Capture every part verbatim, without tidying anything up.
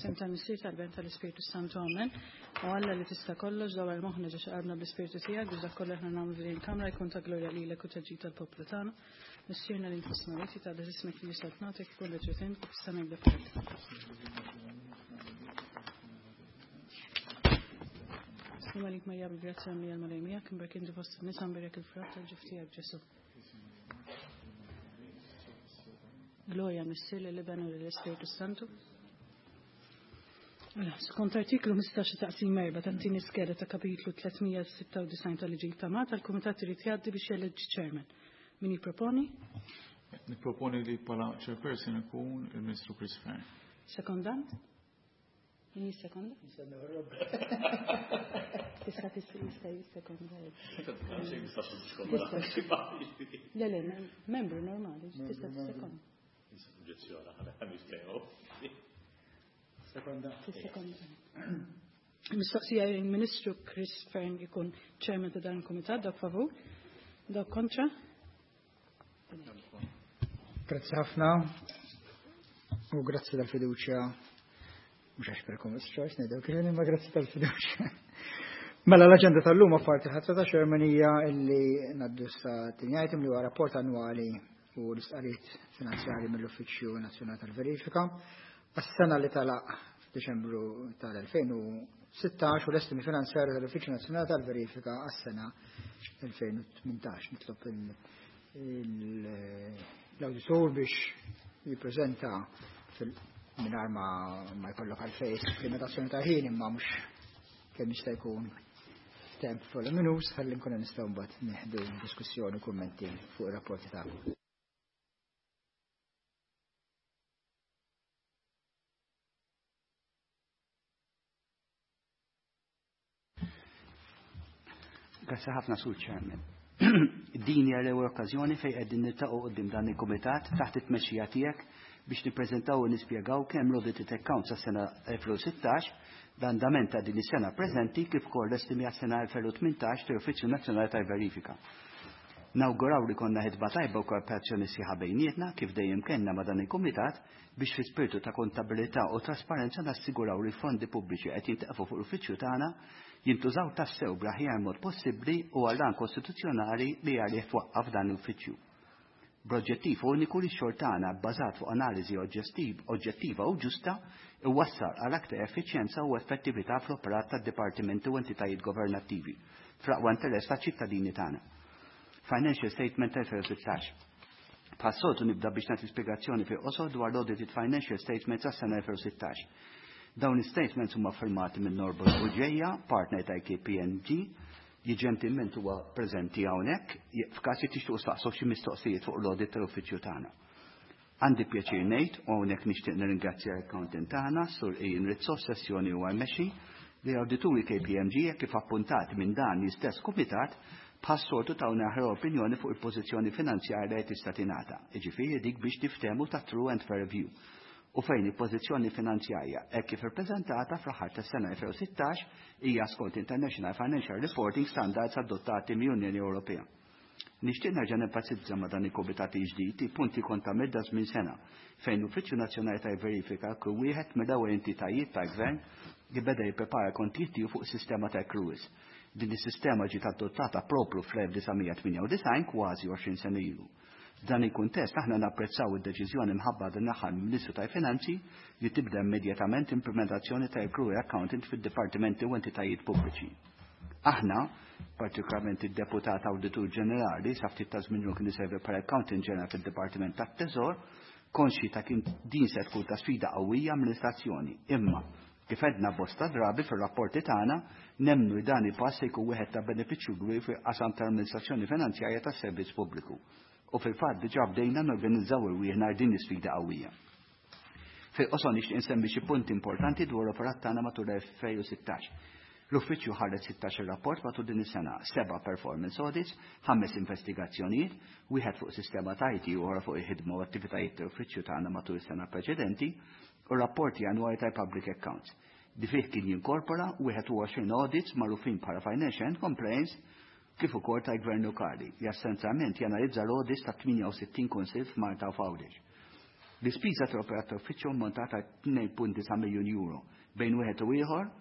F'isem tal-Missier, tal-Iben, tal-Ispirtu Santu, amen. U Alla li tista' kollox, dawwar moħħna ġo qalbna bl-Ispirtu tiegħek biex dak kollu aħna nagħmlu f'din il-kamra jkun ta' glorja lilek u ta' ġid tal-poplu tagħna. Missierna li inti fis-smewwiet, jitqaddes ismek, tiġi saltnatek, ikun li trid int kif fis-sema hekk fl-art. Sliem għalik Marija bil-grazzja mimlija, l-Mulej miegħek, imberka inti fost in-nisa, mberek il-frott tal-ġuf tiegħek Ġesù. Glorja Missier, lill-Iben u lill-Ispirtu Santu. Mela, skont artiklu ħmistax taqsim erba' tat-tieni skeda ta' kapitlu tliet mija u sitta u disgħin tal-Liġi ta' Malta, l-Kumitat irid jgħaddi biex jeleġġi chairman. Min jipproponi? Nipproponi li bħala chairperson ikun il-Ministru Chris Fearne. Sekondant? Min jissekonda? Tista' tista' jista' jissekonda. Le, le, membru normali, tista' tissekonda. Sekonda. Tissekonda. Mistoqsija, il-Ministru Chris Fearne jkun chairman ta' dan il-Kumitat, dak favur, dak kontra? Grazzi ħafna u grazzi tal-fiduċja, mhux għax per choice ngħidu kien, imma grazzi tal-fiduċja. Mela, l-aġenda tal-lum apparti ħatra ta' chairman hija illi ngħaddu sa tieni item li huwa rapport annwali u l-istqarrijiet finanzjari mill-Uffiċċju Nazzjonali tal-Verifika għas-sena li tagħlaq f'Diċembru tal-elfejn u sittax u l-estimi finanzjari tal-Uffiċċju Nazzjonali tal-Verifika għas-sena elfejn u tmintax. Nitlob l-awditur biex jippreżenta mingħajr ma ma jkollok għalfejn limitazzjoni ta' ħin, imma mhux kemm jista' jkun temp voluminus ħalli nkunu nistgħu mbagħad nieħdu diskussjoni u kummenti fuq ir-rapporti tagħkom. Grazzi ħafna, Sur Chairman. Din hija l-ewwel okkażjoni fejn qegħdin niltaqgħu quddiem dan il-kumitat taħt it-tmexxija tiegħek biex nippreżentaw u nispjegaw kemm l-audited accounts għas-sena elfejn u sittax, l-andament ta' din is-sena preżenti, kif ukoll l-estimi għas-sena elfejn u tmintax tal-Uffiċċju Nazzjonali tal-Verifika. Nawguraw li jkollna ħidma tajba u kooperazzjoni sħiħa bejnietna kif dejjem kellna ma' dan il-kumitat biex fi spiritu ta' kontabilità u trasparenza nassiguraw li l-fondi pubbliċi qed jintefqu fuq l-uffiċċju tagħna jintużaw tassew bl-aħjar mod possibbli u għall-għan kostituzzjonali li għalih twaqqaf dan l-uffiċċju. B'oġġettiv uniku li x-xogħol tagħna bbażat fuq analiżi oġġettiva u ġusta iwassal għal aktar effiċjenza u effettività fl-operat tad-dipartimenti u entitajiet governattivi fl-aqwa interess taċ-ċittadini tagħna. Financial Statement elfejn u sittax. Bħas-soltu nibda biex nagħti spjegazzjoni fi qosor dwar l-Audited Financial Statements għas-sena elfejn u sittax. Dawn is-statements huma firmati minn Norbert Bugeja, partner ta' K P M G, li ġentilment huwa preżenti hawnhekk f'każ li tixtiequ staqsu xi mistoqsijiet fuq l-audit tal-uffiċċju tagħna. Għandi pjaċir ngħid, u hawnhekk nixtieq nirringrazzja l-accountant tagħna, Sur Ian Rizzo, sessjoni huwa mmexxi, li awdituri K P M G kif appuntat minn dan l-istess kumitat bħas-soltu tawna aħjar opinjoni fuq il-pożizzjoni finanzjarja li tista' tingħata, jiġifieri dik biex niftehmu ta' true and fair view. U fejn il-pożizzjoni finanzjarja hekk kif ippreżentata fl-aħħar tas-sena elfejn u sittax hija skont International Financial Reporting Standards adottati mill-Unjoni Ewropea. Nixtieq nerġa' nenfasizza ma' dan il-kumitat ġdid i punti kont għamilt żmien sena fejn l-Uffiċċju Nazzjonali tal-Verifika kien wieħed mill-ewwel entitajiet tal-Gvern li beda jipprepara kontijiet tiegħu fuq sistema ta' accruals. Din is-sistema ġiet adottata propru fl-elf disa' mija tmienja u disgħin, kważi għoxrin sena ilu. F'dan il-kuntest aħna napprezzaw id-deċiżjoni mħabbra din l-aħħar mill-Ministru tal-Finanzi li tibda immedjatament implementazzjoni ta' accrual accounting fid-dipartimenti u entitajiet pubbliċi. Aħna, partikolarment id-deputat Awditur Ġenerali, sa ftit ta' żmien kien iservi bħala Accountant General fid-Dipartiment tat-Teżor, konxi ta' kien din se tkun ta' sfida qawwija amministrazzjoni. Imma, kif għedna bosta drabi fir-rapporti tagħna, nemmnu li dan il-pass se jkun wieħed ta' benefiċċju kbir fil-qasam tal-amministrazzjoni finanzjarja tas-servizz pubbliku. U fil-fatt diġà bdejna norganizzaw irwieħna din l-isfida qawwija. Fil-qosor nixtieq insemmi xi punti importanti dwar l-operat tagħna matul elfejn u sittax. L-uffiċċju ħareġ sittax rapport matul din is-sena, seba' performance audits, ħames investigazzjonijiet, wieħed fuq sistema ta' I T u oħra fuq il-ħidma u attivitajiet tal-uffiċċju tagħna matul is-sena preċedenti, u rapporti annwali tal-public accounts. Di fih kien jinkorpora wieħed u għoxrin audits magħrufin bħala financial and compliance kif ukoll tal-Gvern Lokali, li essenzjalment janalizza l-audits ta' tmienja u sittin kunsill f'Malta u f'Għawdex. L-ispiża tal-operat tal-uffiċċju ammontata tnejn punt disa' miljun euro bejn wieħed u ieħor.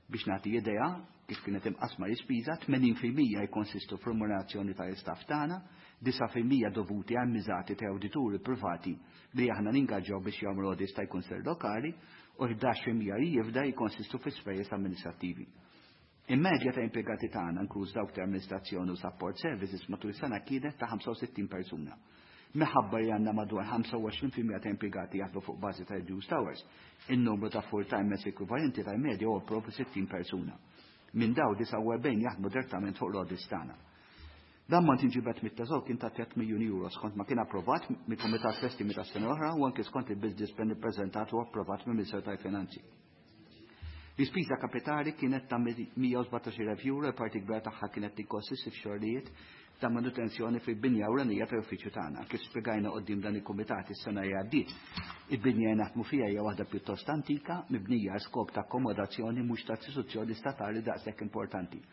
Biex nagħti idea kif kienet imqasma l-ispiża, tmenin fil-mija jkonsistu f'remunerazzjoni tal-istaff tagħna, disa' fil-mija dovuti għal miżati ta' awdituri privati li aħna ningaġġaw biex jagħmlu audits ta' kunsill lokali, u ħdax fil-mija li jifda jkonsistu fi spejjeż amministrattivi. Il-medja ta' impjegati tagħna, inkluż dawk ta' amministrazzjoni u support services, matul is-sena kienet ta' ħamsa u sittin persuna. Minħabba li għandna madwar ħamsa u għoxrin fil-mija ta' impjegati jaħdmu fuq bażi ta' reduced hours, in-numru ta' full-timers ekwivalenti tal-medja huwa propju sittin persuna. Minn daw disgħa u erbgħin jaħdmu direttament fuq l-audits tagħna. L-ammont inġibet mit-teżor kien ta' tliet miljuni euro skont ma kien approvat mill-Kumitat fl-estimi tas-sena l-oħra u anke skont il-business plan ippreżentat u approvat mill-Ministeru tal-Finanzi. L-ispiża kapitali kienet ta' mija u sbatax-il elf euro, il-parti kbira tagħha kienet tikkonsisti f'xogħlijiet ta' manutenzjoni fil-binja ewlenija tal-uffiċċju tagħna. Kif spjegajna quddiem dan il-kumitat is-sena li għaddiet, il-binja li naħdmu fiha hija waħda pjuttost antika, mibnija għal skop ta' akkomodazzjoni mhux ta' istituzzjoni statali daqshekk importanti.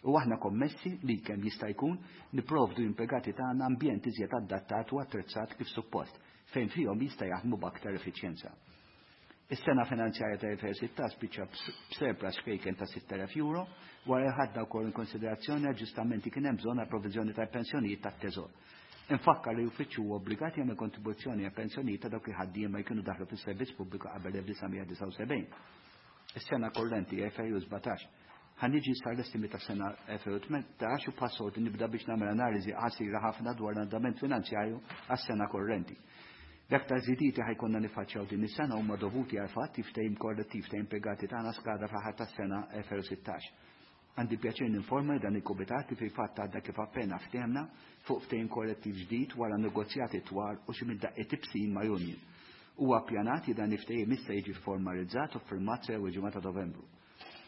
U aħna kommessi li kemm jista' jkun nipprovdu impjegati tagħna ambjent iżjed adattat u attrezzat kif suppost, fejn fihom jista' jaħdmu b'aktar effiċjenza. Is-sena finanzjarja ta' elfejn u sittax spiċċa b'surplus xkejken ta' sitt elef euro, wara li ħadna wkoll in konsiderazzjoni aġġustamenti kien hemm bżonn għal provviżjoni tal-pensjonijiet tat-teżor. Infakkar li l-uffiċċju huwa obbligat jagħmel kontribuzzjoni għal pensjonijiet ta' dawk il-ħaddiema li kienu daħlu fis-servizz pubbliku qabel elf disa' mija disgħa u sebgħin. Is-sena korrenti elfejn u sbatax. Ħa niġi sar l-estimi ta' sena elfejn u tmintax u passort nibda biex nagħmel analiżi qasira ħafna dwar l-andament finanzjarju għas-sena korrenti. L-aktar żidiet li ħajkonna nifaċċjaw din is-sena huma dovuti għal fatt li ftehim kollettiv ta' impjegati tagħna skada fl-aħħar tas-sena elfejn u sittax. Għandi pjaċir ninforma li dan il-kumitat li fil-fatt għadda kif appena ftehemna fuq ftehim kollettiv ġdid wara negozjati twal u xi mid-daqqiet ibsin ma' union. Huwa ppjanat li dan il-ftehim issa jiġi formalizzat u ffirmat sew il-ġimgħa ta' Novembru.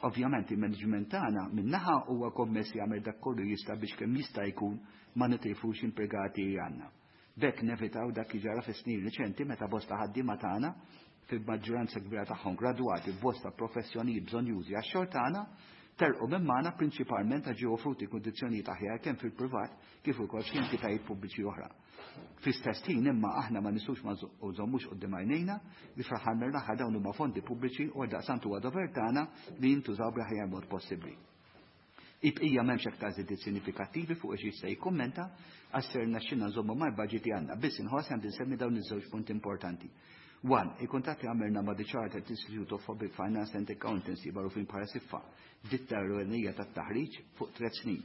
Ovvjament il-management tagħna min-naħa huwa kommess jagħmel dak kollu jista' biex kemm jista' jkun ma nitilfux impjegati li għandna. B'hekk nevitaw dak li ġara fis-snin riċenti meta bosta ħaddiema tagħna fil-maġġoranza kbira tagħhom gradwati f'bosta professjonijiet bżonjużi għax-xogħol tagħna telqu minn magħna prinċipalment għax ġew offruti kundizzjonijiet aħjar kemm fil-privat kif ukoll f'xi entitajiet pubbliċi oħra. Fl-istess ħin imma aħna ma nistgħux ma nżommux quddiem għajnejna li fl-aħħar mill-aħħar dawn huma fondi pubbliċi u għaldaqstant huwa dover tagħna li jintużaw bl-aħjar mod possibbli. Ibqija m'hemmx aktar żidiet sinifikattivi fuq xi jista' jikkummenta għax ser rnexxilna nżommu mal-budget li għandna. Biss inħoss għandi nsemmi dawn iż-żewġ punti importanti. One, il-kuntatt li għamilna ma' The Chartered Institute of Public Finance and Accountancy magħrufin bħala SIFA, ditta ewlenija tat-taħriġ fuq tliet snin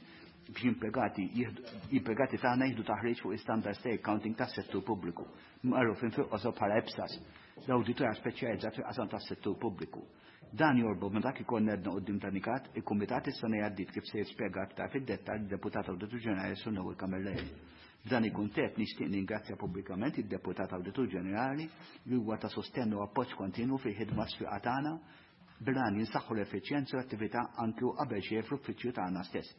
biex impjegati jieħdu, impjegati tagħna jieħdu taħriġ fuq standards ta' accounting tas-settur pubbliku, magħrufin fil-qosor bħala EPSAS, l-awditorja speċjalizzat fil-qasam tas-settur pubbliku. Dan jorbot ma' dak ikollna għedna quddiem dan il-kumitat is-sena li għaddiet kif se jispjega aktar fid-dettall id-deputat Awditur Ġenerali Sur Noel Camilleri. F'dan il-kuntest nixtieq ningrazzja pubblikament id-deputat Awditur Ġenerali li huwa ta' sostenn u appoġġ kontinwu fil-ħidma sfiqa tagħna bil-għan jinsaħħu l-effiċjenza u l-attività anke u qabel xejn fl-uffiċċju tagħna stess.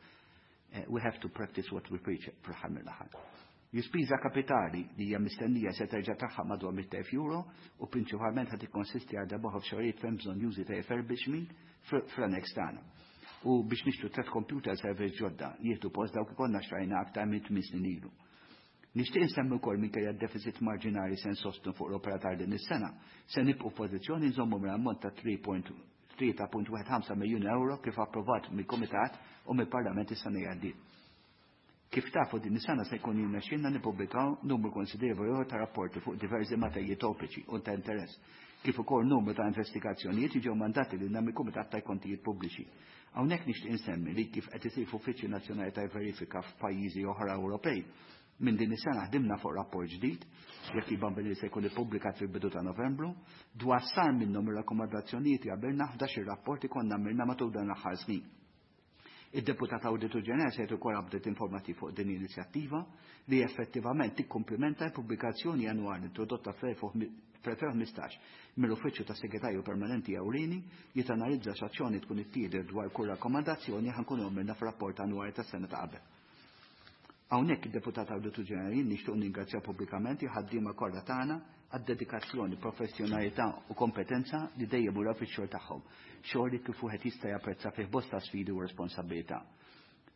Eh, we have to practice what we preach fl-aħħar mill-aħħar. L-ispiża kapitali li hija mistennija se terġa' tagħha madwar mitt elf euro u prinċipalment ħad tikkonsisti għal darba f'xogħlijiet fejn bżonn jużi ta' refurbishment fl-annex tagħna. U biex nixtru tliet computer servers ġodda jieħdu post dawk ikollna xtrajna aktar minn tmien snin ilu. Nixtieq insemmi wkoll minkejja d-deficit marġinali se nsostnu fuq l-operatar din is-sena, se nibqgħu f'pożizzjoni nżommu mill-ammont ta' three point tlieta punt wieħed ħamsa miljun euro kif approvat mill-Kumitat u mill-Parlament is-sena li għaddiet. Kif tafu din is-sena se jkun jirnexxielna nippubblikaw numru konsiderevoli ieħor ta' rapporti fuq diversi materji topiċi u ta' interess, kif ukoll numru ta' investigazzjonijiet ġew mandati lilna mill-Kumitat tal-Kontijiet Pubbliċi. Hawnhekk nixtieq insemmi li kif qed isir f'Uffiċċju Nazzjonali ta' Verifika f'pajjiżi oħra Ewropej, minn din is-sena ħdimna fuq rapport ġdid, jekk iban billi se jkun ippubblikat fil-bidu ta' Novembru, dwar sar minnhom ir-rakkomandazzjonijiet li għabilna ħdax ir-rapporti konna għamilna matul dan l-aħħar snin. Id-deputat Awditur Ġenerali se jagħti wkoll update informattiv fuq din l-inizjattiva li effettivament tikkumplimenta l-pubblikazzjoni annwali introdotta fl-elfejn u ħmistax mill-Uffiċċju tas Segretarju Permanenti Ewlieni li tanalizza x'azzjoni tkun ittieħdet dwar kull rakkomandazzjoni ħankunu għamilna f'rapport annwali tas-sena ta' qabel. Hawnhekk id-deputat Awditur Ġenerali nixtieq ningrazzja pubblikament il-ħaddiema kollha tagħna għad-dedikazzjoni, professjonalità u kompetenza li dejjem uraw fix-xogħol tagħhom, xogħol li kif wieħed jista' japprezza fih bosta sfidi u responsabilità.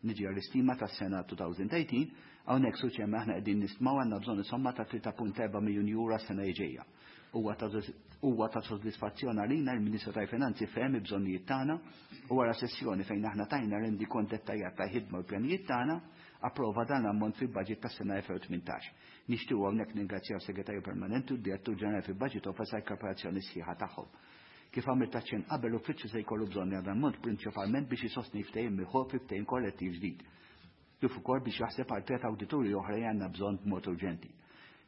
Niġi għall-istima tas-sena two thousand eighteen, hawnhekk suċ aħna qegħdin nistmaw għandna bżonn insomma ta' tlieta punt erba' miljun euro s-sena li ġejja. Huwa ta' soddisfazzjon għalina l-Ministru tal-Finanzi fehem il-bżonnijiet tagħna u wara sessjoni fejn aħna tajna rendikont dettaljat ta' ħidma u pjanijiet tagħna, approva dan l-ammont fil-budget tas-sena elfejn u tmintax. Nixtiequ hawnhekk ningrazzjaw Segretarju Permanenti u d-Direttur Ġenerali fil-Budget Office għal kooperazzjoni sħiħa tagħhom. Kif għamilt aċċenn qabel, l-uffiċċju se jkollu bżonn dan l-ammont prinċipalment biex isostni ftehim milħuq fi ftehim kollettiv ġdid, kif ukoll biex jaħseb għal tliet awdituri oħra li għandna bżonn b'mod urġenti.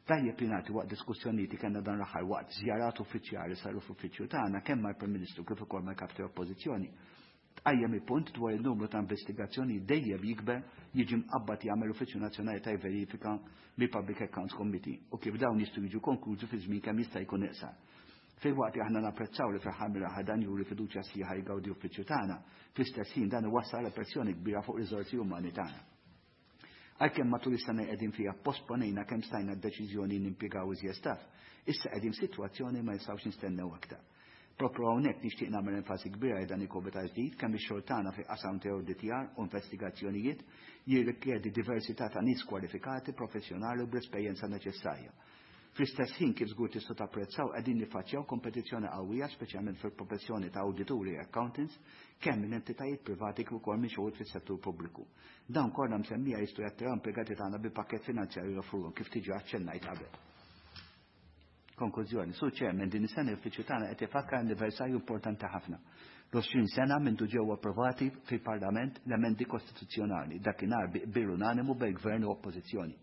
Tajjeb li nagħti waqt diskussjonijiet li kellna dan l-aħħar waqt żjarat uffiċjali saru f'uffiċċju tagħna kemm mal-Prim Ministru kif ukoll mal-Kap tal-Oppożizzjoni, tqajjem il-punt dwar il-numru ta' investigazzjoni dejjem jikber jiġi mqabbad jagħmel Uffiċċju Nazzjonali ta' Verifika mill-Public Accounts Committee u kif dawn jistgħu jiġu konklużi fi żmien kemm jista' jkun iqsar. Filwaqt li aħna napprezzaw li fl-aħħar mill-aħħar dan juri fiduċja sħiħa jgawdi uffiċċju tagħna, fl-istess ħin dan iwassal pressjoni kbira fuq riżorsi umani tagħna. Għalkemm matul is-sena qegħdin fiha posponejna kemm stajna d-deċiżjoni nimpjegaw iżjed staff, issa qegħdin f'sitwazzjoni ma nistgħux nistennew aktar. Propru hawnhekk nixtieq nagħmel enfasi kbira dan il-kumitat ġdid kemm ix-xogħol tagħna fi qasam ta' awditjar u investigazzjonijiet jirrikjedi diversità ta' nies kwalifikati, professjonali u bl-esperjenza neċessarja. Fl-istess ħin, kif żgur tistgħu tapprezzaw, qegħdin niffaċċjaw kompetizzjoni qawwija, speċjalment fil-professjoni ta' awdituri e accountants, kemm minn entitajiet privati kif ukoll minn xogħol fis-settur pubbliku. Dawn kollha msemmija jistgħu jattiraw impjegati tagħna bi pakkett finanzjarju joffruhom, kif diġà aċċennajt qabel. Konklużjoni, Sur Chairman, din is-sena l-uffiċċju tagħna qed ifakkar anniversarju importanti ħafna. L-għoxrin sena minn ġew approvati fil-Parlament l-emendi kostituzzjonali, dakinhar bi qbil unanimu bejn gvern u oppożizzjoni.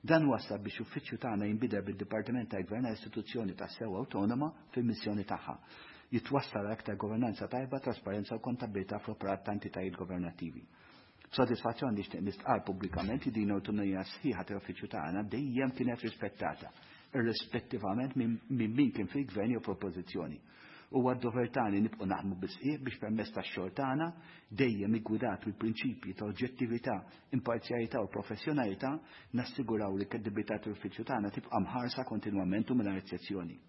Dan wassal biex uffiċċju tagħna jinbidel bid-Dipartiment tal-Gvern għal istituzzjoni ta' sew awtonoma fil-missjoni tagħha. Jitwassal aktar governanza tajba, trasparenza u kontabilità fl-operat ta' entitajiet governattivi. B'sodisfazzjon nixtieq nistqar pubblikament li din autonomija sħiħa tal-uffiċċju tagħna dejjem kienet rispettata, irrispettivament minn min kien fil-gvern jew fl-oppożizzjoni. Huwa d-dover tagħna nibqgħu naħdmu bis-sħiħ biex permezz tax-xogħol tagħna, dejjem iggwidat mill-prinċipji ta' oġġettività, imparzjalità u professjonalità, nassiguraw li kredibilità tal-uffiċċju tagħna tibqa' mħarsa kontinwament u mingħajr eċċezzjoni.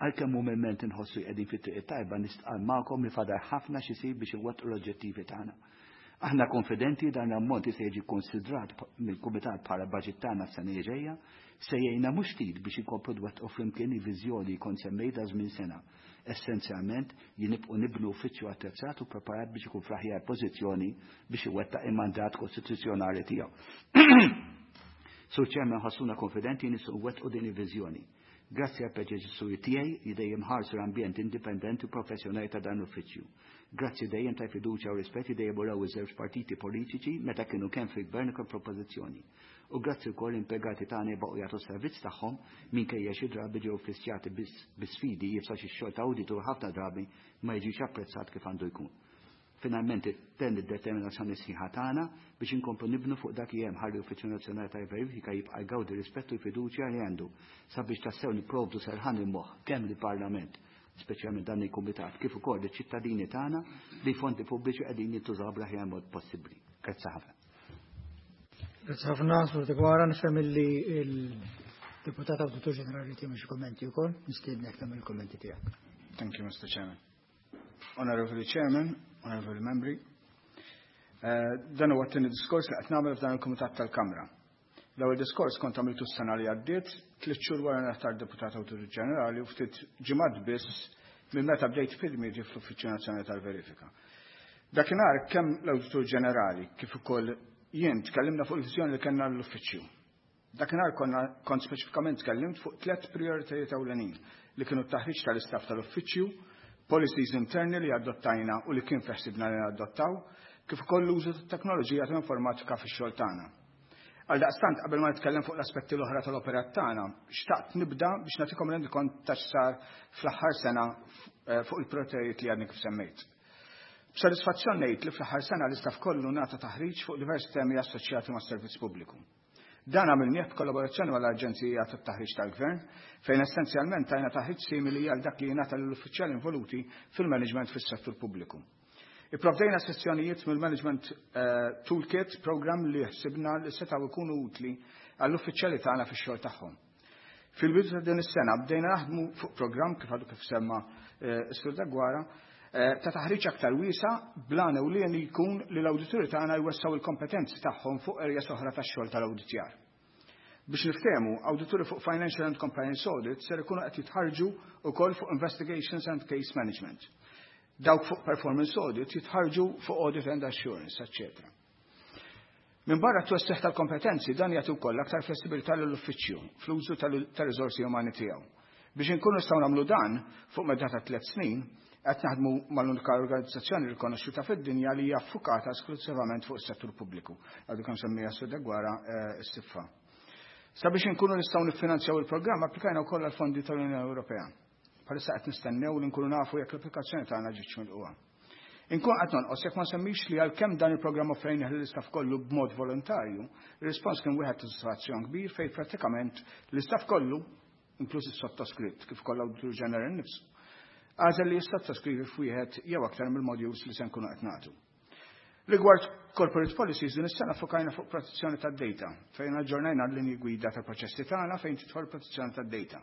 Għalkemm umilment inħossu qegħdin fit-triq tajba, nistqar magħkom li fadal ħafna x'isir biex inwettqu l-oġġettivi tagħna. Aħna konfidenti dan l-ammont se jiġi konsidrat mill-Kumitat bħala budget tagħna s-sena ġejja, se jgħinna mhux ftit biex inkomplu nwettqu flimkien il-viżjoni kont semmejta żmien sena. Essenzjalment nibqgħu nibnu uffiċċju attrezzat u preparat biex ikun fl-aħjar pożizzjoni biex iwettaq il-mandat kostituzzjonali tiegħu. Sur Chairman, ħossuna konfidenti nistgħu nwettqu din il-viżjoni. Grazzi għal predeċessuri tiegħi li dejjem ħarsu l-ambjent indipendenti u professjonali ta' dan l-uffiċċju. Grazzi dejjem ta' fiduċja u rispett li dejjem uraw iż-żewġ partiti politiċi meta kienu kemm fil-gvern kemm fl-oppożizzjoni. U grazzi wkoll impjegati tagħna jibqgħu jagħtu servizz tagħhom minkejja xi drabi ġew fissjati bi sfidi iebsa, xi xogħol ta' awditur ħafna drabi ma jiġix apprezzat kif għandu jkun. Finalment, tenni d-determinazzjoni sħiħa tagħna biex inkomplu nibnu fuq dak li hemm ħalli Uffiċċju Nazzjonali tal-Verifika jibqa' jgawdi rispettu fiduċja li għandu sabiex tassew nipprovdu serħan il-moħħ kemm lill-Parlament, speċjalment dan il-Kumitat, kif ukoll iċ-ċittadini tagħna li fondi pubbliċi qegħdin jintużaw bl-aħjar mod possibbli. Grazzi ħafna. Grazzi ħafna, Sur Deguara, nifhem li il-Deputat Awditur Ġenerali tiegħu xi kommenti wkoll, nistiednek tagħmel il-kommenti tiegħek. Thank you, Mister Chairman. Honorable Chairman, Honorable Membri, uh, dan huwa t-tieni diskors li qed nagħmel f'dan il-Kumitat tal-Kamra. L-ewwel diskors kont għamiltu s-sena li għaddiet, tliet xhur wara nħtart Deputat Awditur Ġenerali u ftit ġimgħat biss minn meta bdejt fil-miri fl-Uffiċċju Nazzjonali tal-Verifika. Dakinhar kemm l-Awditur Ġenerali kif ukoll jien tkellimna fuq il-viżjoni li kellna l-uffiċċju. Dakinhar konna kont speċifikament tkellimt fuq tliet prioritajiet ewlenin li kienu t-taħriġ tal-istaff tal-uffiċċju, policies interni li adottajna u li kien feħsibna li adottaw, kif ukoll l-użu tat-teknoloġija ta' informatika fix-xogħol tagħna. Għaldaqstant, qabel ma nitkellem fuq l-aspetti l-oħra tal-operat tagħna, xtaqt nibda biex nagħtikom rendikont ta' x'sar fl-aħħar sena eh, fuq il-prioritajiet li għadni kif semmejt. B'sodisfazzjon ngħid li fl-aħħar sena l-istaff kollu ngħata taħriġ fuq diversi temi assoċjati mas-servizz pubbliku. Dan għamilnieh b'kollaborazzjoni mal-Aġenzija tat-Taħriġ tal-Gvern, fejn essenzjalment tajna taħriġ simili għal dak li jingħata lill-uffiċjali involuti fil-management fis-settur pubbliku. Ipprovdejna sessjonijiet mill-Management uh, Toolkit program li ħsibna li setgħu jkunu utli għall-uffiċjali tagħna fix-xogħol tagħhom. Fil-bidu ta' din is-sena bdejna naħdmu fuq program, kif għadu kif semma eh, s-Sur Deguara, eh, ta' taħriġ aktar wiesa' bl-għan ewlieni jkun li l-awdituri tagħna jwessgħu il-kompetenzi tagħhom fuq areas oħra tax-xogħol tal-awditjar. Biex niftehmu, awdituri fuq Financial and Compliance Audit ser ikunu qed jitħarġu wkoll fuq Investigations and Case Management. Dawk fuq Performance Audit jitħarġu fuq Audit and Assurance, eċċetera. Minn barra t-twessiħ tal-kompetenzi, dan jagħti wkoll aktar flessibilità lill-uffiċċju fl-użu tal-riżorsi umani tiegħu. Biex inkunu nistgħu nagħmlu dan fuq medda ta' tliet snin, qed naħdmu mal-unika organizzazzjoni rikonoxxuta fid-dinja li hija ffukata esklusivament fuq is-settur pubbliku. Għadu kemm semmija Sur Deguara, s-S I F A. Sabiex inkunu nistgħu niffinanzjaw il-programm, applikajna wkoll għall-fondi tal-Unjoni Ewropea. Bħalissa qed nistennew li nkunu nafu jekk l-applikazzjoni tagħna ġietx milquha. Inkun qed nonqos jekk ma semmix li għalkemm dan il-programm offrejnih lill-istaff kollu b'mod volontarju, ir-rispons kien wieħed ta' sodisfazzjon kbir fejn prattikament l-istaff kollu, inkluż is-sottoskritt kif ukoll l-Awditur Ġenerali nnifsu, għażel li jissottoskrivi f'wieħed jew aktar mill-modules li se nkunu qed nagħtu. Rigward corporate policies, din is-sena fokajna fuq protezzjoni tad-data, fejn aġġornajna l-linji gwida tal-proċessi tagħna fejn tidħol protezzjoni tad-data.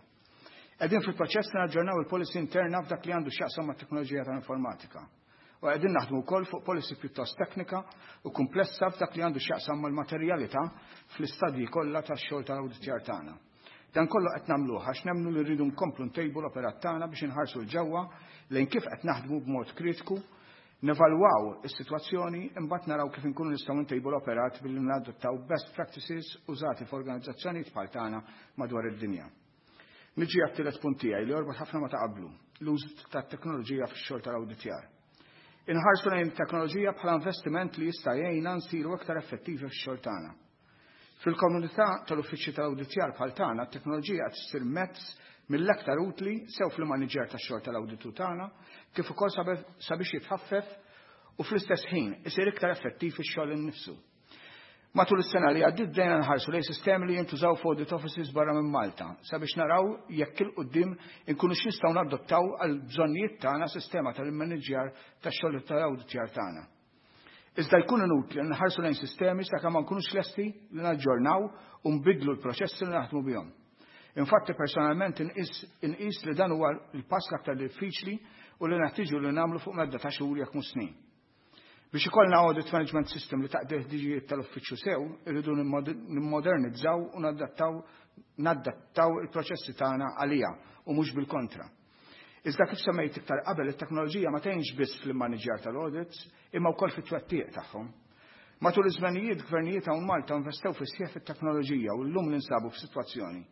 Qegħdin fil-proċess li naġġornaw il-policy interna f'dak li għandu x'jaqsam mat-teknoloġija tal-informatika. U qegħdin naħdmu wkoll fuq policy pjuttost teknika u komplessa f'dak li għandu x'jaqsam mal-materjalità fl-istadji kollha tax-xogħol tal-awditjar tagħna. Dan kollu qed nagħmluh għax nemmnu li rridu nkomplu ntejbu l-operat tagħna biex inħarsu 'l ġewwa lejn kif qed naħdmu b'mod kritiku, nevalwaw is-sitwazzjoni, imbagħad naraw kif inkunu nistgħu ntejbu l-operat billi nadottaw best practices użati f'organizzazzjonijiet bħal tagħna madwar id-dinja. Niġi għat-tielet punt tiegħi li jorbot ħafna ma ta' qablu, l-użu tat-teknoloġija fix-xogħol tal-awditjar. Inħarsu lejn teknoloġija bħala investiment li jista' jgħinna nsiru aktar effettivi fix-xogħol tagħna. Fil-komunità tal-uffiċċji tal-awditjar bħal tagħna, t-teknoloġija qed issir mezz mill-aktar utli sew fl-maniġer tax-xogħol tal-awditu tagħna, kif ukoll sabiex jitħaffef u fl-istess ħin isir iktar effettiv fix-xogħol innifsu. Matul is-sena li għaddiet bdejna nħarsu lejn sistemi li jintużaw f'audit offices barra minn Malta sabiex naraw jekk 'il quddiem inkunu x'nistgħu nadottaw għal bżonnijiet tagħna sistema tal-immaniġjar tax-xogħol tal-awditjar tagħna. Iżda jkun inutli li nħarsu lejn sistemi sakemm ma nkunux lesti li naġġornaw u nbidlu l-proċessi li naħdmu bihom. Infatti, personalment inqis li dan huwa l-pass l-aktar diffiċli u li neħtieġu li nagħmlu fuq medda ta' xhur, jekk mhux snin. Biex ikollna audit management system li taqdi ħtiġijiet tal-uffiċċju sew, irridu nimmodernizzaw u nadattaw nadattaw il-proċessi tagħna għalija u mhux bil-kontra. Iżda kif semmejt iktar qabel, it-teknoloġija ma tgħinx biss fl-immaniġjar tal-audits, imma wkoll fit-twettiq tagħhom. Matul iż-żmenijiet, gvernijiet hawn Malta investew fi sħiħ fit-teknoloġija u llum ninsabu f'sitwazzjoni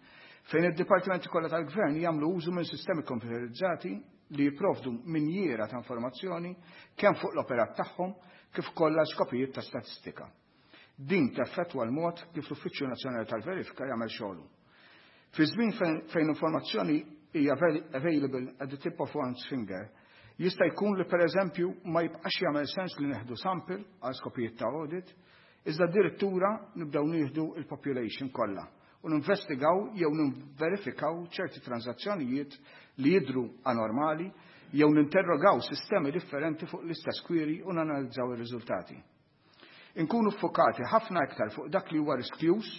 fejn id-dipartimenti kollha tal-gvern jagħmlu użu minn sistemi komputerizzati li jipprovdu minjiera ta' informazzjoni kemm fuq l-operat tagħhom kif ukoll skopijiet ta' statistika. Din teffettwa l-mod kif l-Uffiċċju Nazzjonali tal-Verifika jagħmel xogħlu. Fi żmien fejn informazzjoni hija available at the tip of one's finger, jista' jkun li, pereżempju, ma jibqax jagħmel sens li neħdu sample għal skopijiet ta' audit, iżda addirittura nibdew nieħdu il-population kollha u ninvestigaw jew ninverifikaw ċerti transazzjonijiet li jidru anormali jew ninterrogaw sistemi differenti fuq l-istess query u nanalizzaw ir-riżultati. Inkunu fokati ħafna iktar fuq dak li huwa riskjus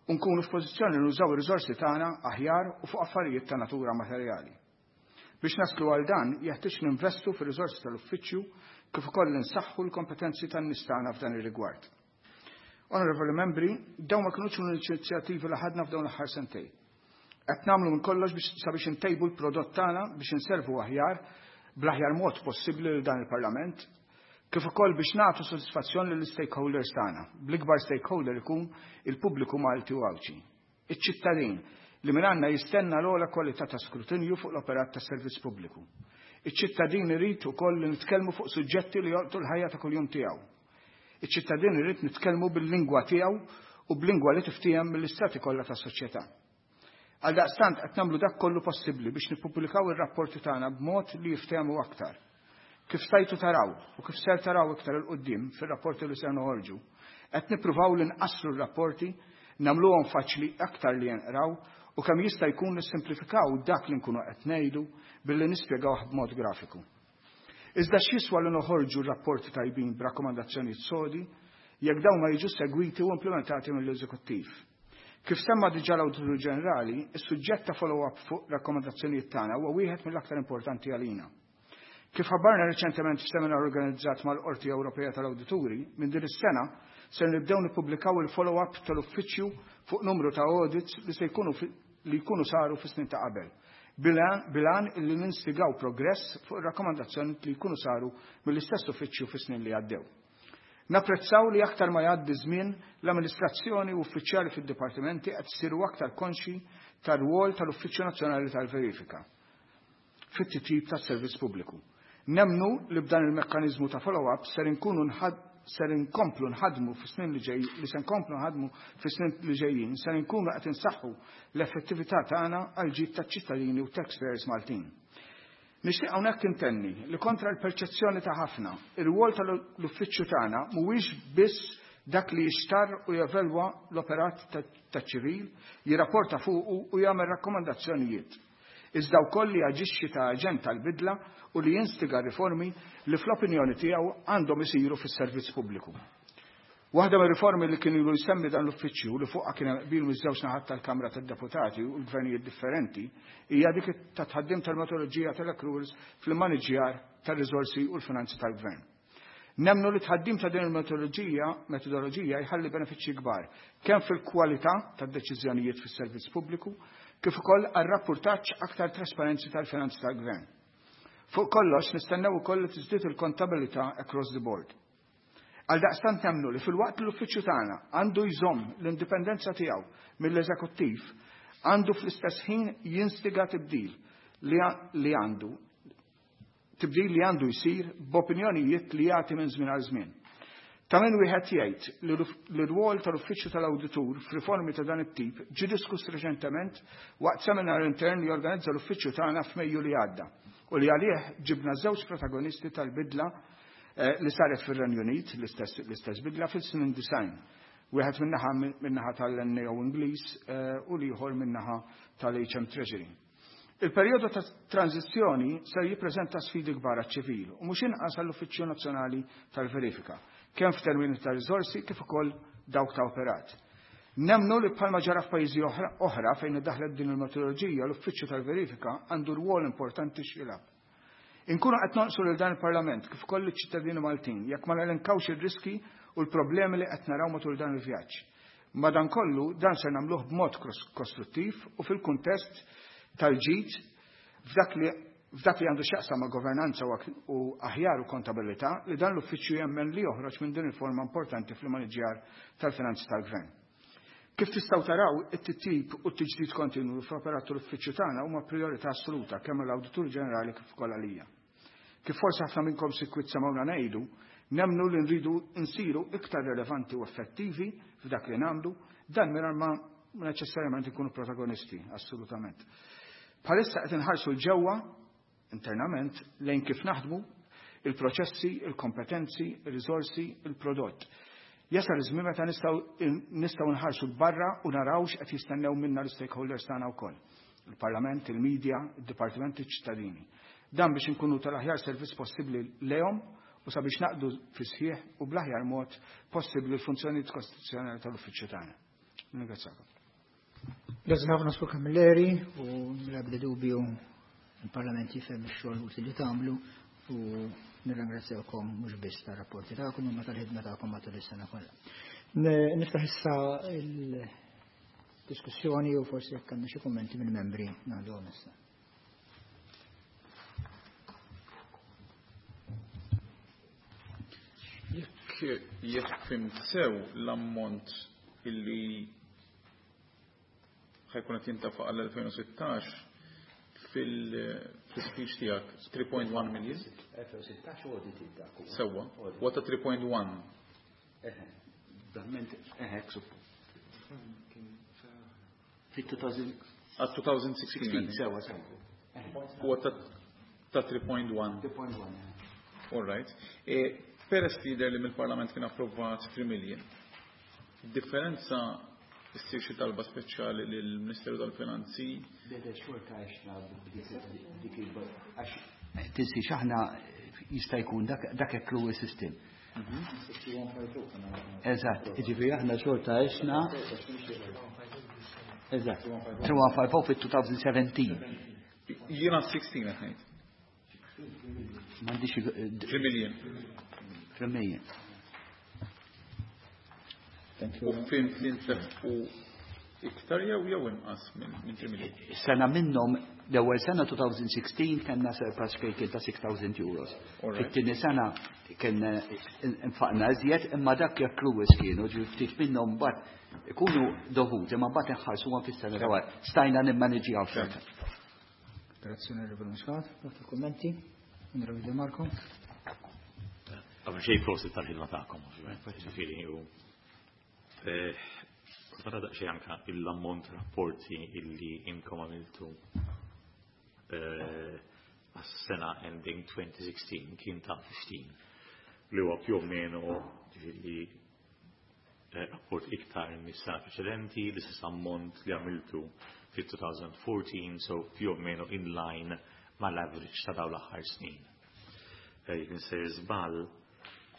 u nkunu f'pożizzjoni nużaw ir-riżorsi tagħna aħjar u fuq affarijiet ta' natura materjali. Biex naslu għal dan, jeħtieġ ninvestu fir-riżorsi tal-uffiċċju kif ukoll nsaħħu l-kompetenzi tan-nies tagħna f'dan ir-rigward. Onorevoli membri, dawn ma kinux l-inizjattivi li ħadna f'dawn l-aħħar sentejn. Qed nagħmlu minn kollox biex sabiex intejbu l-prodott tagħna biex inservu aħjar, bl-aħjar mod possibbli lil dan il-Parlament, kif ukoll biex nagħtu sodisfazzjon lill stakeholders tagħna. Bl-ikbar stakeholder ikun il-pubbliku Malti u Għawdxi. Iċ-ċittadin li minn għandna jistenna l-ogħla kwalità ta' skrutinju fuq l-operat tas servizz pubbliku. Iċ-ċittadin irid ukoll li nitkellmu fuq suġġetti li jolqtu l-ħajja ta' kuljum tiegħu. Iċ-ċittadin irid nitkellmu bil-lingwa tiegħu u b'lingwa li tiftiehem mill-istrati kollha tas-soċjetà. Għaldaqstant qed nagħmlu dak kollu possibbli biex nippubblikaw ir-rapporti tagħna b'mod li jiftehmu aktar. Kif stajtu taraw u kif ser taraw iktar 'il quddiem fir-rapporti li ser noħorġu, qed nippruvaw li nqassru r-rapporti, nagħmluhom faċli aktar li jinqraw u kemm jista' jkun nissimplifikaw dak li nkunu qed ngħidu billi nispjegawh b'mod grafiku. Iżda x'jiswa li noħorġu rapporti tajbin b'rakkomandazzjonijiet sodi jekk dawn ma jiġu segwiti u implementati mill-eżekuttiv? Kif semma diġà l-Awditur Ġenerali, is-suġġett ta' follow-up fuq rakkomandazzjonijiet tagħna huwa wieħed mill-aktar importanti għalina. Kif ħabbarna reċentement f'seminar organizzat mal-Qorti Ewropea tal-Awdituri, minn din is-sena se nibdew nippubblikaw il-follow-up tal-uffiċċju fuq numru ta' audits li se jkunu li jkunu saru fis-snin ta' qabel. Bil-għan illi ninstigaw progress fuq ir-rakkomandazzjoni li jkunu saru mill-istess uffiċċju fis-snin li għaddew. Napprezzaw li aktar ma jgħaddi żmien l-amministrazzjoni u uffiċjali fid-dipartimenti qed isiru aktar konxi tar-rwol tal-Uffiċċju Nazzjonali tal-Verifika fit-titjib tas-servizz pubbliku. Nemmnu li b'dan il-mekkaniżmu ta' follow-up ser inkunu ser inkomplu nħadmu fis-snin li ġej li se nkomplu nħadmu fis-snin li ġejjin ser inkunu qed insaħħu l-effettività tagħna għal ġid taċ-ċittadini u taxpayers Maltin. Nixtieq hawnhekk intenni li kontra l-perċezzjoni ta' ħafna, ir-rwol tal-uffiċċju tagħna mhuwiex biss dak li jixtar u jevelwa l-operat taċ-ċivil, jirrapporta fuqu u jagħmel rakkomandazzjonijiet. Iżda wkoll li jaġixxi ta' aġent tal-bidla u li jinstiga riformi li fl-opinjoni tiegħu għandhom isiru fis-servizz pubbliku. Waħda mir-riformi li kien ilu jsemmi dan l-uffiċċju li fuqha kien hemm qbil miż-żewġ naħat tal-Kamra tad-Deputati u l-gvernijiet differenti hija dik ta' tħaddim tal-metodoloġija tal-accruals fil-maniġjar tar-riżorsi u l-finanzi tal-gvern. Nemmnu li tħaddim ta' din il-metodoloġija metodoloġija jħalli benefiċċji kbar kemm fil-kwalità tad-deċiżjonijiet fis-servizz pubbliku kif ukoll għar-rapportaġġ aktar trasparenzi tal-finanzi tal-gvern. Fuq kollox nistennew ukoll li tiżdied il-kontabilità across the board. Għal daqstant nemmnu li fil-waqt li l-uffiċċju tagħna għandu jżomm l-indipendenza tiegħu mill-eżekuttiv, għandu fl-istess ħin jinstiga tibdil li għandu tibdil li għandu jsir b'opinjonijiet li jagħti minn żmien għal żmien. Ta' min wieħed jgħid li l-rwol tal-uffiċċju tal-awditur f'riformi ta' dan it-tip ġie diskuss reċentement waqt seminar intern li organizza l-uffiċċju tagħna f'Mejju li għadda u li għalih ġibna żewġ protagonisti tal-bidla li saret fir-Renju Unit, l-istess bidla fis-snin design. Wieħed min-naħa min-naħa tal-N A O Ingliż u l-ieħor min-naħa tal-H M Treasury. Il-perjodu ta' tranzizzjoni ser jippreżenta sfidi kbar għaċ-ċivil u mhux inqas għall-Uffiċċju Nazzjonali tal-Verifika, kemm f'termini ta' riżorsi kif ukoll dawk ta' operat. Nemmnu li bħalma ġara f'pajjiżi oħra fejn iddaħlet din il-metodoloġija, l-Uffiċċju tal-Verifika għandu rwol importanti x'jilgħab. Inkunu qed nonqsu lil dan il-Parlament kif ukoll iċ-ċittadini Maltin jekk ma nelenkawx ir-riski u l-problemi li qed naraw matul dan il-vjaġġ. Madankollu dan se nagħmluh b'mod kostruttiv u fil-kuntest tal-ġid f'dak li f'dak li għandu x'jaqsam ma' governanza u aħjar u kontabilità li dan l-uffiċċju jemmen li joħroġ minn din il-forma importanti fil-maniġjar tal-finanzi tal-gvern. Kif tistgħu taraw, it-titjib u t-tiġdid kontinwu fl-operat tal-uffiċċju tagħna huma priorità assoluta kemm l-Awditur Ġenerali kif ukoll għalija. Kif forsi ħafna minnkom sikwit semgħuna ngħidu, nemmnu li nridu nsiru iktar relevanti u effettivi f'dak li nagħmlu, dan mingħajr ma neċessarjament ikunu protagonisti, assolutament. Bħalissa qed inħarsu l-ġewwa internament lejn kif naħdmu, il-proċessi, il-kompetenzi, il-riżorsi, il-prodott. Jasal iż-żmien meta nistgħu nistgħu nħarsu l-barra u naraw x'qed jistennew minna l-stakeholders tagħna wkoll. Il-Parlament, il-medja, id-dipartimenti, iċ-ċittadini. Dan biex inkunu tal-aħjar servizz possibbli lejhom u sabiex naqdu fi sħiħ u bl-aħjar mod possibbli l-funzjonijiet kostituzzjonali tal-uffiċċju tagħna. Ningrazzjakom. Grazie ħafna Sur Camilleri u bla dubju il-Parlament jifhem ix-xogħol utli li tagħmlu u nirringrazzjawkom mhux biss tar-rapporti tagħkom imma tal-ħidma tagħkom matul is-sena kollha. Niftaħ issa il-diskussjoni u forsi jekk għandna xi kummenti mill-membri ngħaddu issa. Jekk jekk fimt sew l-ammont illi ħajkun qed jintafaq għal elfejn u sittax fil-speech tiegħek three point one million. elfejn u sittax audited dak huwa. Sewwa. Huwa ta' three point one. Eħe, verament, eħe, suppost. Fi two thousand Għal two thousand sixteen. Sewwa, sewwa. Huwa ta' three point one. three point one. All right. E, peress li jidher li mill-Parlament kien approvat three million. Differenza issir xi talba speċjali lill-Ministeru tal-Finanzi? Beda xorta għaxna b'dik il- għax tinsi x'aħna jista' jkun dak dak hekk huwa s-sistem. Eżatt, jiġifieri aħna xorta għexna. Eżatt. three one five oh fit two thousand seventeen. Jiena sixteen qed ngħid. M'għandix three million. three million. Thank you. U fim li ntefqu iktar jew jew inqas minn three million. Sena minnhom, l-ewwel sena twenty sixteen kellna surplus fejn kien ta' six thousand euros. Fit-tieni sena kien infaqna iżjed, imma dak accruals kienu ġi ftit minnhom mbagħad ikunu dovuti, imma mbagħad inħarsuhom fis-sena ta' wara. Stajna nimmaniġjaw xorta. Grazzi, Onorevole Muscat. Għatu kummenti. Onorevole De Marco. Qabel xejn, prosit tal-ħidma tagħkom, ovvjament. Ġifieri u mara daqsxejn anka l-ammont rapporti illi inkom għamiltu għas-sena ending twenty sixteen kien ta' fifteen, li huwa più o meno, ġifieri, rapport iktar mis-sena preċedenti, l-istess ammont li għamiltu fit-twenty fourteen, so più o meno in line mal-average ta' dawn l-aħħar snin. Jekk insejr żball,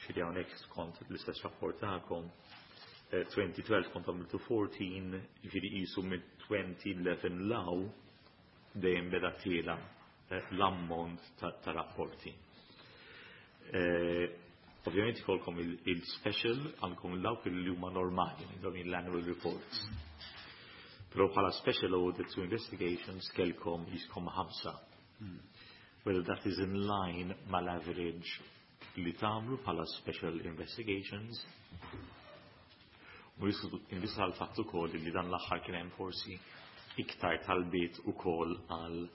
xi hawnhekk skont l-istess rapport tagħkom, twenty twelve kont għamiltu fourteen, ġifieri qisu minn twenty eleven 'l hawn dejjem beda tiela' l-ammont ta' rapporti. Ovvjament ikolkom il-special, għandkom il-dawk li huma normali, dawn l-annual reports. Però bħala special audits to investigations kellkom jiskom ħamsa. Whether that is in line mal-average li tagħmlu bħala special investigations. U invista għal fatt ukoll li dan l-aħħar kien hemm forsi iktar talbiet ukoll għal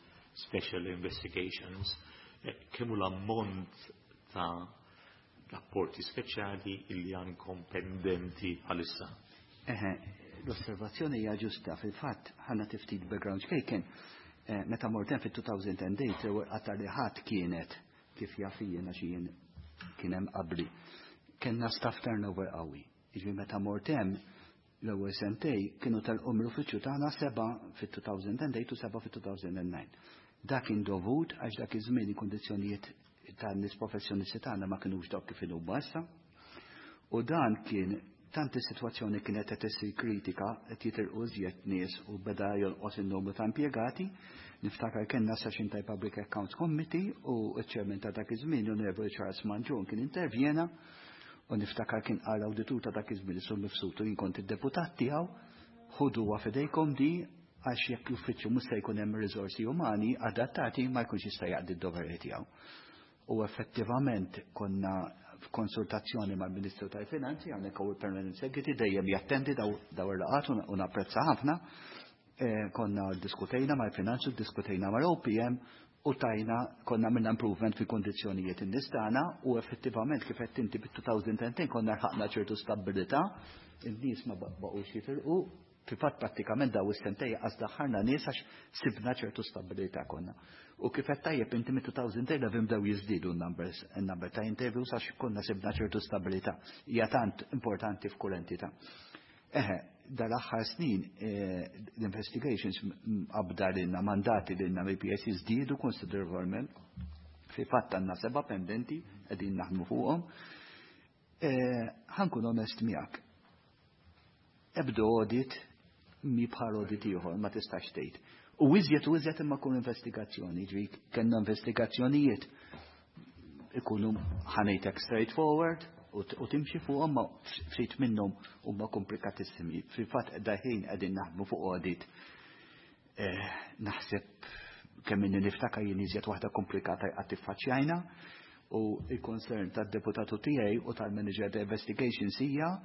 special investigations. Kemm hu l-ammont ta' rapporti speċjali illi għandkom pendenti bħalissa? Eħe, l-osservazzjoni hija ġusta. Fil-fatt, ħanna tiftit background xkejken. Meta mort hemm fit-two thousand eight, l-ewwel qatgħa li ħadd kienet, kif jaf jiena xi jien kien hemm qabli. Kellna staff turnover qawwi. Jiġifieri meta mort hemm l-ewwel sentej kienu telqu mill-uffiċċju tagħna seba' fit-two thousand eight u seba' fit-two thousand nine. Dak kien dovut għax dak iż-żmien il-kundizzjonijiet tan-nies professjonisti tagħna ma kinux dawk kif inhuma issa. U dan kien tant is-sitwazzjoni kienet qed issir kritika, qed jitilqu iżjed nies u beda jonqos in-numru ta' impjegati. Niftakar kellna session ta' Public Accounts Committee u ċ-chairman ta' dak iż-żmien, Onorevoli Charles Mangion, kien intervjena u niftakar kien qal awditur ta' dak iż-żmien, Sur Mifsud, jien kont id-deputat tiegħu, "Ħuduha f'idejkom di, għax jekk l-uffiċċju mhux se jkun hemm riżorsi umani adattati, ma jkunx jista' jaqdi d-doveri tiegħu." U effettivament konna f'konsultazzjoni mal-Ministru tal-Finanzi, hawnhekk hawn il-Permanent Secretary, dejjem jattendi daw daw il-laqgħat u napprezza ħafna. Eh, konna diskutejna mal-Finanzi, diskutejna mal-O P M u tajna konna minna improvement fi kondizzjonijiet in-nies tagħna u effettivament, kif qed inti, bit-twenty ten konna lħaqna ċertu stabilità, in-nies ma baqgħux jitilqu, fil-fatt prattikament daw is-sentej għax daħħalna nies għax sibna ċertu stabilità konna. U kif qed tajjeb inti, mit-twenty eleven bdew jiżdiedu n-numbers, n-number ta' interviews, għax konna sibna ċertu stabilità. Hija tant importanti f'kull entità. Eħe, dal-aħħar snin l-investigations qabda lilna mandati lilna mill-P A C żdiedu konsiderevolment. Fi fatt għandna seba' pendenti qegħdin naħdmu fuqhom. Ħa nkun onest miegħek. Ebda audit mi bħal audit ieħor, ma tistax tgħid. U iżjed u iżjed imma kun investigazzjoni, ġvi kellna investigazzjonijiet ikunu, ħa ngħidlek, straightforward u timxi fuqhom, ma ftit minnhom huma komplikatissimi. Fil-fatt daħin qegħdin naħdmu fuq audit, naħseb kemm inni niftakar jien iżjed waħda komplikata qatt tiffaċċjajna, u il-concern tad-deputatu tiegħi u tal-manager ta' investigations hija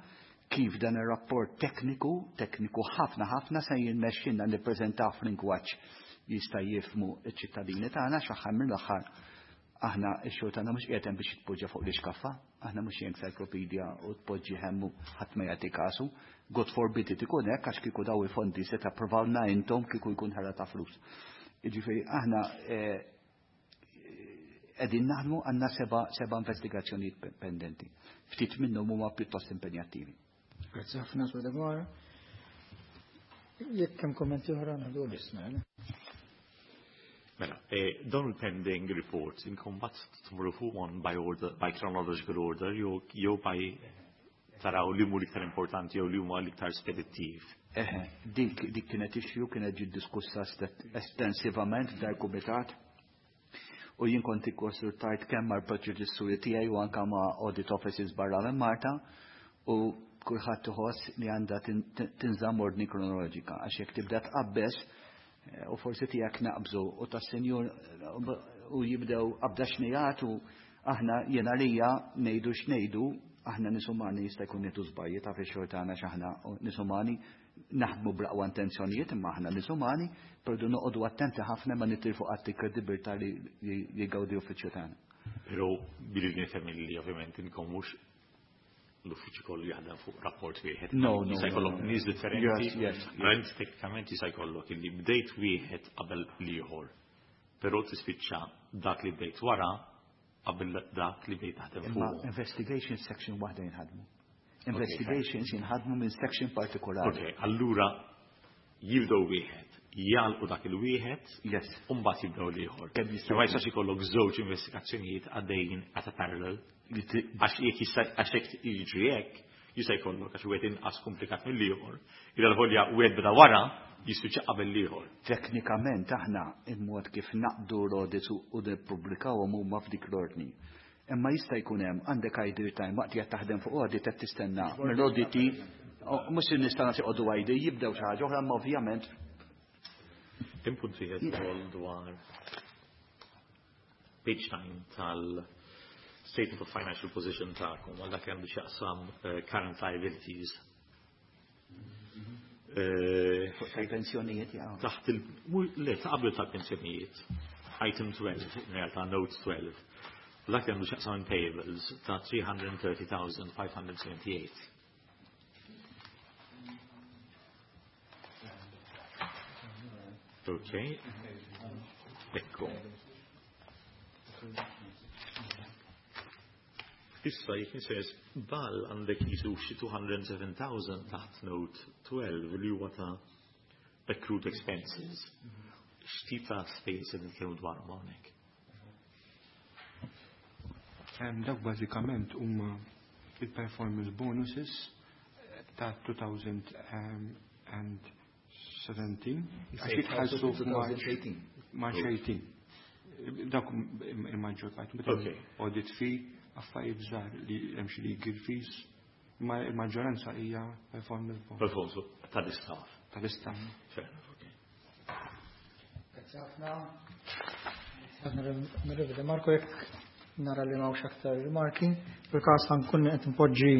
kif dan ir-rapport tekniku, tekniku ħafna ħafna, se jirnexxilna nippreżentaw f'lingwaġġ jista' jifhmu ċ-ċittadini tagħna, x'aħħar mill-aħħar aħna x-xogħol tagħna mhux qiegħed biex tpoġġa fuq l-iskaffa, aħna mhux encyclopedia u tpoġġi hemm ħadd ma jagħti kasu. God forbid it ikun hekk, għax kieku daw il-fondi se tapprovawna intom kieku jkun ħela ta' flus. Jiġifieri aħna qegħdin naħdmu, għandna seba' seba' investigazzjonijiet pendenti. Ftit minnhom huma pjuttost impenjattivi. Grazzi ħafna, Sur Degwara. Jekk hemm kommenti oħra naħdu l-isma. Mela, eh, dawn il-pending reports inkom bat tmurru fuq one by order, by chronological order, jew jew by taraw li mu l-iktar importanti jew li huma l-iktar spedittiv? Eħe, dik dik kienet issue kienet ġiet diskussa estensivament f'dar kumitat. U jien kont ikkonsultajt kemm mal-predeċessuri tiegħi u anke ma' audit offices barra minn Malta u kulħadd iħoss li għandha tinżamm ordni kronoloġika għax jekk tibda tqabbeż u forsi tiegħek naqbżu u tas-senjur u jibdew qabda xnijat u aħna jiena lija ngħidu x'ngħidu, aħna nies umani jista' jkun nieħdu żbalji ta' fix-xogħol tagħna x'aħna nies umani naħdmu bl-aqwa intenzjonijiet imma aħna nies umani, però noqogħdu attenti ħafna ma nitilfu qatt il-kredibilità li jgawdi uffiċċju tagħna. Però billi nifhem li ovvjament inkom mhux l-uffiċċju kollu jaħdem fuq rapport wieħed. No, no. Jista' jkollok nies differenti. Yes, yes. Rent teknikament jista' jkollok illi bdejt wieħed qabel l-ieħor. Però tispiċċa dak li bdejt wara qabel dak li bdejt taħdem fuq. Investigation section waħda jinħadmu. Investigations jinħadmu minn section partikolari. Ok, allura jibdew wieħed, jgħalqu dak il-wieħed, yes. U mbagħad jibdew l-ieħor. Ma jistax ikollok żewġ investigazzjonijiet għaddejjin at a parallel. Għax jekk jista' għax jekk jiġri hekk, jista' jkollok għax wieħed inqas komplikat mill-ieħor. Ila l-ħolja wieħed beda wara jispiċċa qabel l-ieħor. Teknikament aħna il-mod kif naqdu l-audits u nippubblikawhom huma f'dik l-ordni. Imma jista' jkun hemm għandek idle time waqt li qed taħdem fuq audit qed tistenna mill-auditi, mhux in-nies tagħna joqogħdu idle jibdew xi ħaġa oħra, imma ovvjament. Input wieħed ukoll dwar page nine tal-Statement of Financial Position tagħkom għal dak għandu x'jaqsam current liabilities. Fuq tal-pensjonijiet, ja. Taħt il, le, ta' qabel tal-pensjonijiet, item twelve, in realtà note twelve. Dak għandu x'jaqsam payables ta' three hundred thirty thousand five hundred seventy-eight. Ok, ekku. Issa jekk nisers bal għandek jisu xi two hundred seven thousand taħt note twelve li huwa ta' accrued expenses. X'tip ta' space qed nitkellmu dwar hawnhekk? Dawk bażikament huma il-performance bonuses ta' two thousand and seventeen. Għax jitħallsu f'March March eighteen. Dawk il-maġġor parti. Okay. Audit fee, affarijiet żgħar li hemm xi legal fees, ma il-maġġoranza hija performance bonus. Performance tal-istaff. Tal-istaff. Fair enough, okay. Grazie ħafna. Onorevole Marco, jekk nara li m'hawnx aktar rimarki, fil-każ ħankun qed npoġġi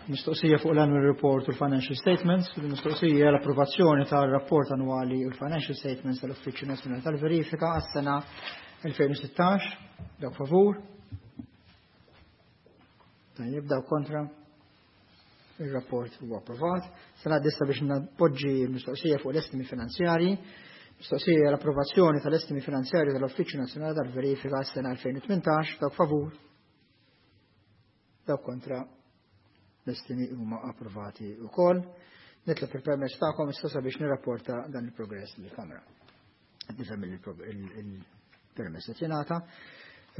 mistoqsija fuq l-annual report u l-financial statements. Il-mistoqsija l-approvazzjoni tal-rapport annwali u l-financial statements tal-Uffiċċju Nazzjonali tal-Verifika għas-sena elfejn u sittax. Dawk favur? Tajjeb, dawk kontra? Il-rapport huwa approvat. Sena dissa biex napoġġi l-mistoqsija fuq l-estimi finanzjarji. Mistoqsija l-approvazzjoni tal-estimi finanzjarji tal-Uffiċċju Nazzjonali tal-Verifika għas-sena elfejn u tmintax. Dawk favur? Dawk kontra? L-estimi huma approvati wkoll. Nitlob il-permess tagħkom issa sabiex nirrapporta dan il-progress lill-Kamra. Qed nifhem il-permess qed jingħata.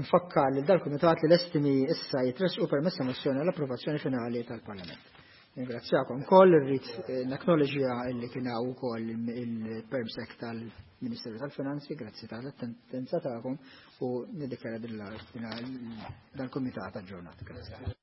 Nfakkar lil dal-Kumitat li l-estimi issa jitressqu permess ta' mozzjoni għall-approvazzjoni finali tal-Parlament. Ringrazzjakom koll, irrid naknoloġija li kien hawn ukoll il-permsec tal-Ministeru tal-Finanzi, grazzi tal-attendenza tagħkom u niddikjara dan il-Kumitat aġġornat. Grazzi.